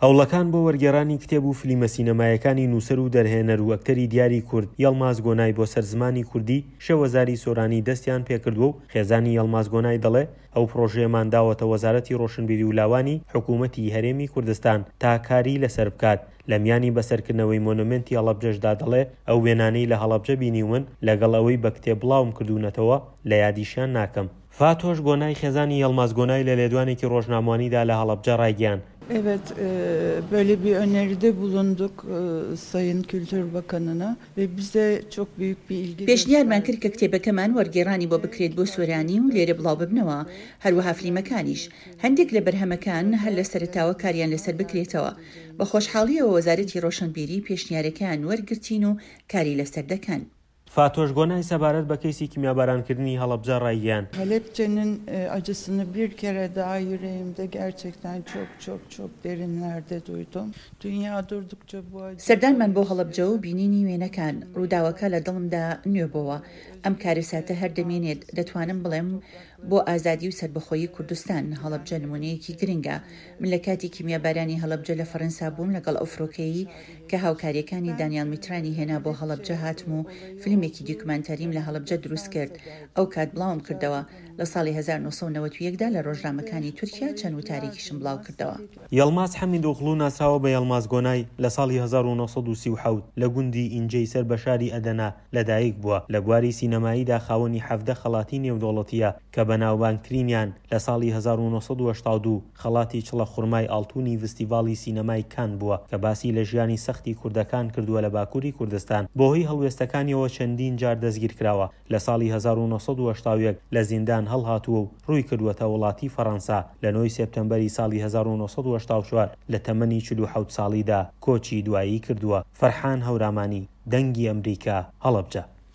هەوڵەکان بۆ وەرگێڕانی کتێب و فلیمە سینەمایەکانی نووسەر و دەرهێنەر و ئەکتەری دیاری کورد یەڵماز گۆنای بۆ سەر زمانی کوردی شێوەزاری سۆرانی دەستیان پێکردووە و خێزانی یەڵماز گۆنای دەڵێ ئەو پڕۆژەیەمان داوەتە وەزارەتی ڕۆشنبیری و لاوانی حکوومەتی هەرێمی کوردستان تا کاری لەسەر بکات. لە میانی بەسەرکردنەوەی مۆنۆمێنتی هەڵەبجەشدا دەڵێ ئەو وێنانەی لە هەڵەبجە بینیومن لەگەڵ ئەوەی بە کتێب بڵاوم کردوونەتەوە لە یادیشیان ناکەم. فاتۆش گۆنای خێزانی یەڵماز گۆنای لە لێدوانێکی ڕۆژناموانیدا لە هەڵەبجە ڕایگەیاند. Evet, böyle bir öneride bulunduk Sayın Kültür Bakanına ve bize çok büyük bir ilgi پێشنیارمان کرد کە کتێبەکەمان وەرگێڕانی بۆ بکرێت بۆ سۆرانی و لێرە بڵاو ببنەوە، هەروەها فلیمەکانیش. هەندێک لە بەرهەمەکان هەر لە سەرەتاوە کاریان لەسەر بکرێتەوە. بە خۆشحاڵییەوە وەزارەتی ڕۆشنبیری پێشنیارەکەیان وەرگرتین و کاری لەسەر دەکەن. فاتۆش گۆنای سەبارەت بە کەیسی کیمیابارانکردنی هەڵەبجە ڕایگەیاند. Halepçe'nin acısını bir kere daha yüreğimde gerçekten çok çok çok derinlerde duydum. Dünya durdukça bu acı. سەردانمان بۆ هەڵەبجە و بینینی وێنەکان، ڕووداوەکە لە دڵمدا نوێ بۆوە. ئەم کارەساتە هەر دەمێنێت، دەتوانم بڵێم بۆ ئازادی و سەربەخۆیی کوردستان، هەڵەبجە نموونەیەکی گرنگە. من لە کاتی کیمیابارانی هەڵەبجە لە فەرەنسا بووم لەگەڵ ئەو فرۆکەیەی کە هاوکاریەکانی دانیال میترانی هێنا بۆ هەڵەبجە هاتم و فیلمێکی دیکومانتاریم لە هەڵەبجە دروست کرد ئەو کات بڵاوم کردەوە لە ساڵی 1991 دا لە ڕۆژنامەکانی تورکیا چەند وتارێکیشم بڵاو کردەوە. یەڵماز حەمیدئۆغڵو ناسراوە بە یەڵماز گۆنای، لە ساڵی 1937 لە گوندی ئینجەی سەر بە شاری ئەدەنە لەدایک بووە، لە بواری سینەماییدا خاوەنی 17 خەڵاتی نێودەوڵەتییە کە بەناوبانگترینیان لە ساڵی 1982 خەڵاتی چڵە خورمای ئاڵتوونی ڤستیڤاڵی سینەمای کان بووە کە باسی لە ژیانی سەختی کوردەکان کردووە لە باکووری کوردستان. بەهۆی هەڵوێستەکانیەوە چەندین جار دەستگیرکراوە. لە ساڵی 1981 لە زیندان هەڵهاتووە و ڕووی کردووەتە وڵاتی فەڕەنسا. لە نۆی سێپتەمبەری ساڵی 1984 لە تەمەنی 47 ساڵیدا کۆچی دوایی کردووە. فەرحان هەورامانی، دەنگی ئەمریکا، هەڵەبجە.